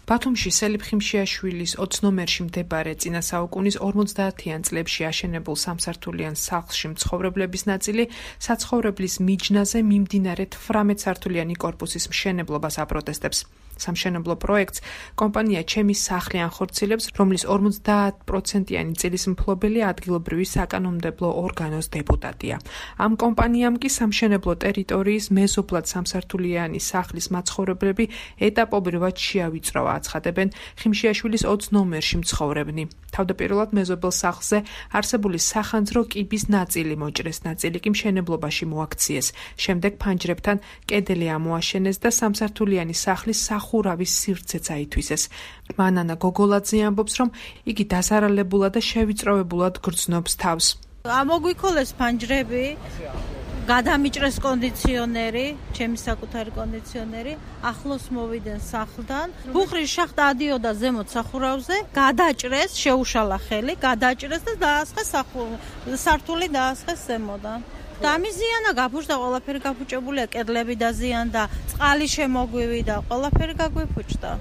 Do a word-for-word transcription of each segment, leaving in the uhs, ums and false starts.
ბათუმში სელიფ ხიმშიაშვილის ოც ნომერში მდებარე წინა საუკუნის ორმოცდაათიან წლებში აშენებულ სამსართულიან სახლში მცხოვრებლების ნაწილი საცხოვრებლის მიჯნაზე მიმდინარე თვრამეტ სართულიანი კორპუსის მშენებლობას აპროტესტებს. სამშენებლო პროექტს კომპანია ჩემი სახლი ანხორციელებს, რომლის ორმოცდაათ პროცენტიანი წილის მფლობელი ადგილობრივი საკანონმდებლო ორგანოს დეპუტატია. ამ კომპანიამ კი სამშენებლო ტერიტორიის მეზობლად სამსართულიანი სახლის მაცხოვრებლები ეტაპობრივად შეავიწროვა, აცხადებენ ხიმშიაშვილის ოც ნომერში მცხოვრებნი. თავდაპირველად მეზობელ სახლზე არსებული სახანძრო კიბის ნაწილი მოჭრეს, ნაწილი კი მშენებლობაში მოაქციეს. შემდეგ ფანჯრებთან კედელი ამოაშენეს და სამსართულიანი სახლის ხურავის სივრცეც აითვისეს. მანანა გოგოლაძე ამბობს, რომ იგი დასარალებულად და შევიწროვებულად გრძნობს თავს. ამოგვიქოლეს ფანჯრები, გადამიჭრეს კონდიციონერი, ჩემი საკუთარი კონდიციონერი, ახლოს მოვიდნენ სახლთან. ბუხრის შახტა ადიოდა ზემოთ სახურავზე, გადაჭრეს, შეუშალა ხელი, გადაჭრეს და დაასხეს სართული დაასხეს ზემოდან. დამიზიანა გაფუჭდა, ყველაფერი გაფუჭებულია, კედლები დაზიანდა, წყალი შემოგვივიდა, ყველაფერი გაგვიფუჭდა.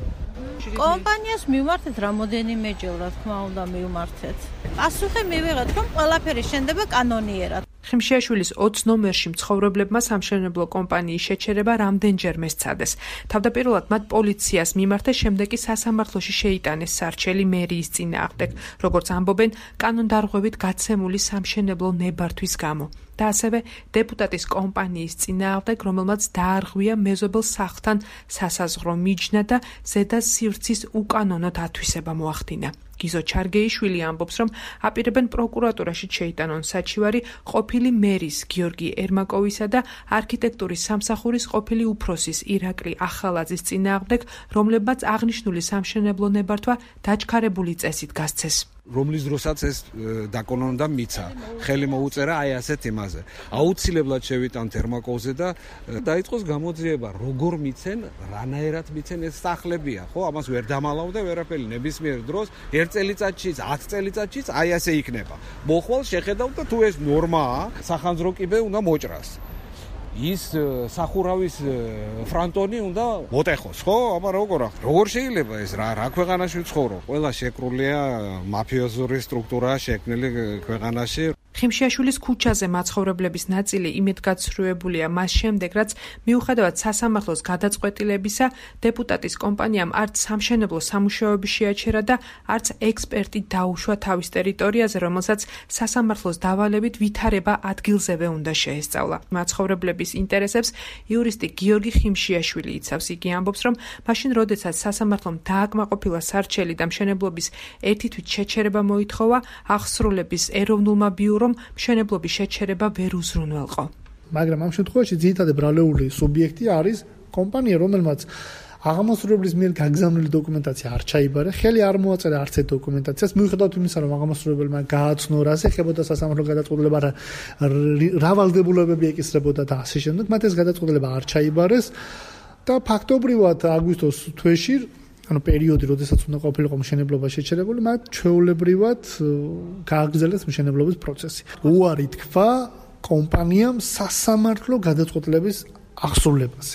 კომპანიას მივმართეთ რამოდენიმეჯერ, რა თქმა უნდა, მივმართეთ. პასუხი მივიღეთ, რომ ყველაფერი შენდება კანონიერად. ხიმშიაშვილის ოც ნომერში მცხოვრებლებმა სამშენებლო კომპანიის შეჩერება რამდენჯერმე სცადეს. თავდაპირველად მათ პოლიციას მიმართეს, შემდეგ კი სასამართლოში შეიტანეს სარჩელი მერიის წინააღმდეგ, როგორც ამბობენ, კანონდარღვევით გაცემული სამშენებლო ნებართვის გამო. და ასევე დეპუტატის კომპანიის წინააღმდეგ, რომელმაც დაარღვია მეზობელ სახლთან სასაზღვრო მიჯნა და ზედა სივრცის უკანონოდ ათვისება მოახდინა. გიზო ჩარგეიშვილი ამბობს, რომ აპირებენ პროკურატურაში შეიტანონ საჩივარი ყოფილი მერის გიორგი ერმაკოვისა და არქიტექტურის სამსახურის ყოფილი უფროსის ირაკლი ახალაძის წინააღმდეგ, რომლებმაც აღნიშნული სამშენებლო ნებართვა დაჩქარებული წესით გასცეს. რომლის დროსაც ეს დაკონონდა მიცა, ხელი მოუწერა აი ასეთ იმაზე. აუცილებლად შევიტანთ ერმაკოვზე და დაიწყოს გამოძიება, როგორ მიცენ, რანაირად მიცენ, ეს სახლებია, ხო? ამას ვერ დამალავდა ვერაფერი, ნებისმიერ დროს ერთ წელიწადშიც, ათ წელიწადშიც აი ასე იქნება. მოხვალ შეხედავ და თუ ეს ნორმაა, სახანძრო კიბე უნდა მოჭრას. ის სახურავის ფრანტონი უნდა მოტეხოს, ხო? აბა როგორ ახ? როგორ შეიძლება ეს რა რა ქვეყანაში ვცხოვრო? ყველა შეკრულია მაფიოზური სტრუქტურაა შექმნილი ქვეყანაში. ხიმშიაშვილის ქუჩაზე მაცხოვრებლების ნაწილი იმედგაცრუებულია მას შემდეგ, რაც მიუხედავად სასამართლოს გადაწყვეტილებისა, დეპუტატის კომპანიამ არც სამშენებლო სამუშაოები შეაჩერა და არც ექსპერტი დაუშვა თავის ტერიტორიაზე, რომელსაც სასამართლოს დავალებით ვითარება ადგილზევე უნდა შეესწავლა. მაცხოვრებლების ინტერესებს იურისტი გიორგი ხიმშიაშვილი იცავს. იგი ამბობს, რომ მაშინ, როდესაც სასამართლომ დააკმაყოფილა სარჩელი და მშენებლობის ერთი თვით შეჩერება მოითხოვა, აღსრულების ეროვნულმა ბიურომ მშენებლობის შეჩერება ვერ უზრუნველყო. მაგრამ ამ შემთხვევაში ძირითადად ბრალეული სუბიექტი არის კომპანია, რომელმაც აღამასრულებლის მიერ გაგზავნილი დოკუმენტაცია არ ჩაიბარა, ხელი არ მოაწერა არც ერთ დოკუმენტაციას, მიუხედავად იმისა, რომ აღამასრულებელმა გააცნო, რას ეხებოდა სასამართლო გადაწყვეტილება, რა ვალდებულებები ეკისრებოდა და ასე შემდეგ, მათ ეს გადაწყვეტილება არ ჩაიბარეს და ფაქტობრივად აგვისტოს თვეში, ანუ პერიოდი, როდესაც უნდა ყოფილიყო მშენებლობა შეჩერებული, მათ ჩვეულებრივად გააგრძელეს მშენებლობის პროცესი. უარი თქვა კომპანიამ სასამართლო გადაწყვეტილების აღსრულებას.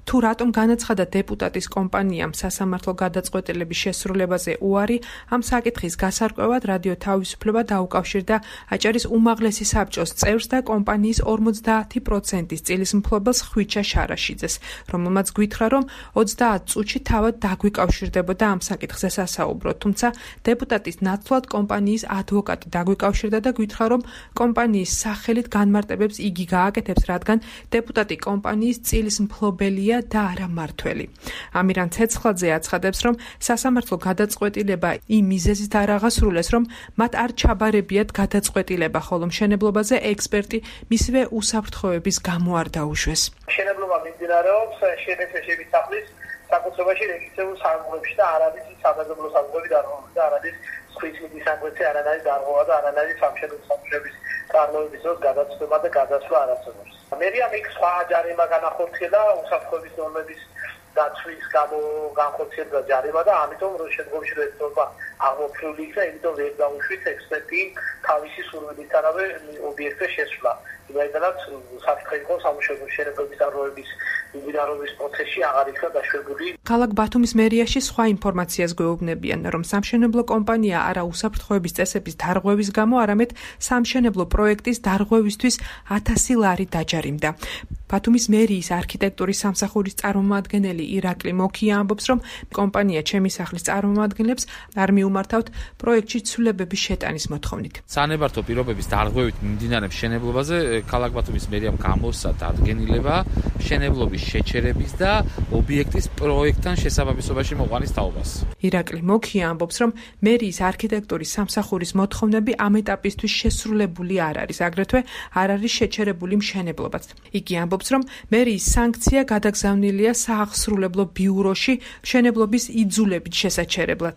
თუ რატომ განაცხადა დეპუტატის კომპანიამ სასამართლო გადაწყვეტილების შესრულებაზე უარი, ამ საკითხის გასარკვევად რადიო თავისუფლება დაუკავშირდა აჭარის უმაღლესი საბჭოს წევრს და კომპანიის ორმოცდაათი პროცენტის წილის მფლობელს ხვიჩა შარაშიძეს, რომელმაც გვითხრა, რომ ოცდაათ წუთში თავად დაგვიკავშირდებოდა ამ საკითხზე სასაუბრო, თუმცა დეპუტატის ნაცვლად კომპანიის ადვოკატი დაგვიკავშირდა და გვითხრა, რომ კომპანიის სახელით განმარტებებს იგი გააკეთებს, რადგან დეპუტატი კომპანიის წილის მფლობელია და არა მართველი. ამირან ცეცხლაძე აცხადებს, რომ სასამართლო გადაწყვეტილება იმ მიზეზით არ აღასრულეს, რომ მათ არ ჩაბარებიათ გადაწყვეტილება, ხოლო მშენებლობაზე ექსპერტი მისივე უსაფრთხოების გამო არ დაუშვეს. მშენებლობა მიმდინარეობს შენეცეშების სახლის საკუთრებაში რეგისტრირებულ საგნებში და არ არის სამეზობლო საგნები და არ არის სხვისი საგვეცე არანაირი დარღვევა და არანაირი სამშენებლო სამუშაოების წარმოების დროს გადაწყვეტა და გადასვლა არ არსებობს. მერია მიქ სხვა ჯარიმა განახორციელა უსაფრთხოების ნორმების დაცვის გამო განხორციელდა ჯარიმა და ამიტომ რო შემდგომში რეცდობა აღმოფხვრილი იქნა, იმიტომ ვერ დაუშვით ექსპერტი თავისი სურვილისთანავე ობიექტზე შესვლა. იმედად საფრთხე იყო სამუშაო მშენებლობის დარღვევების მიმდინარეობის პროცესში აღარ იქნა დაშვებული. ქალაქ ბათუმის მერიაში სხვა ინფორმაციას გვეუბნებიან, რომ სამშენებლო კომპანია არა უსაფრთხოების წესების დარღვევის გამო, არამედ სამშენებლო პროექტის დარღვევისთვის ათასი ლარი დაჯარიმდა. ბათუმის მერიის არქიტექტურის სამსახურის წარმომადგენელი ირაკლი მოქია ამბობს, რომ კომპანია ჩემი სახლის წარმომადგენლებს არ მიუმართავთ პროექტში ცვლილებების შეტანის მოთხოვნით. სანებართო პირობების დარღვევით მიმდინარე მშენებლობაზე ქალაქ ბათუმის მერიამ გამოსცა დადგენილება მშენებლობის შეჩერების და ობიექტის პროექტთან შესაბამისობაში მოყვანის თაობას. ირაკლი მოქია ამბობს, რომ მერიის არქიტექტურის სამსახურის მოთხოვნები ამ ეტაპისთვის შესრულებული არ არის, აგრეთვე არ არის შეჩერებული მშენებლობაც. იგი ამბობს, რომ მერიის სანქცია გადაგზავნილია სააღსრულებლო ბიუროში მშენებლობის იძულებით შესაჩერებლად.